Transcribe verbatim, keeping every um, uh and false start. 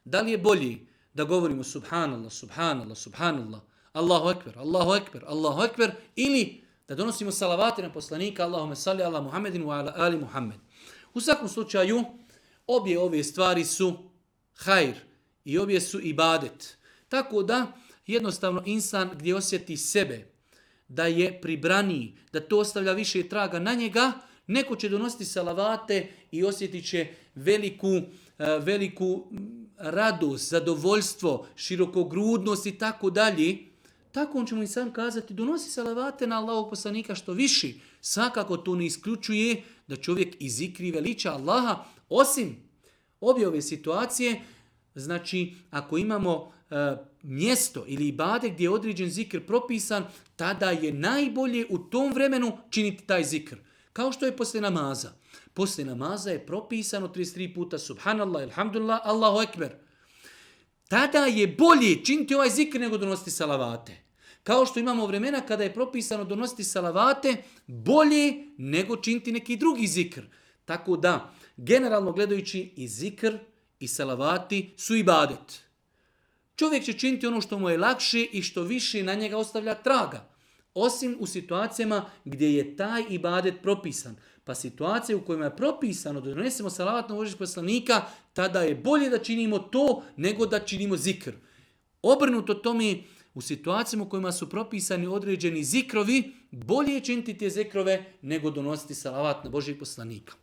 Da li je bolji da govorimo subhanallah, subhanallah, subhanallah, Allahu ekber, Allahu ekber, Allahu ekber, ili da donosimo salavate na poslanika, Allahume salli ala Muhammedin wa ala ali Muhammed. U svakom slučaju, obje ove stvari su hajr i obje su ibadet. Tako da, jednostavno insan gdje osjeti sebe da je pribraniji, da to ostavlja više traga na njega, neko će donositi salavate i osjetit će veliku, veliku radost, zadovoljstvo, širokogrudnost i tako dalje. Tako on će mu i sam kazati, donosi salavate na Allahovog poslanika što viši. Svakako to ne isključuje da čovjek izikri veliča Allaha, osim obje ove situacije. Znači, ako imamo e, mjesto ili ibade gdje je određen zikr propisan, tada je najbolje u tom vremenu činiti taj zikr. Kao što je poslije namaza. Poslije namaza je propisano trideset tri puta subhanallah, alhamdulillah, Allahu ekber. Tada je bolje činiti ovaj zikr nego donositi salavate. Kao što imamo vremena kada je propisano donositi salavate, bolje nego činiti neki drugi zikr. Tako da, generalno gledajući i zikr i salavati su ibadet. Čovjek će činiti ono što mu je lakše i što više na njega ostavlja traga. Osim u situacijama gdje je taj ibadet propisan. Pa situacije u kojima je propisano da donesemo salavat na Božjeg poslanika, tada je bolje da činimo to nego da činimo zikr. Obrnuto tome, u situacijama u kojima su propisani određeni zikrovi, bolje je činiti te zikrove nego donositi salavat na Božjeg poslanika.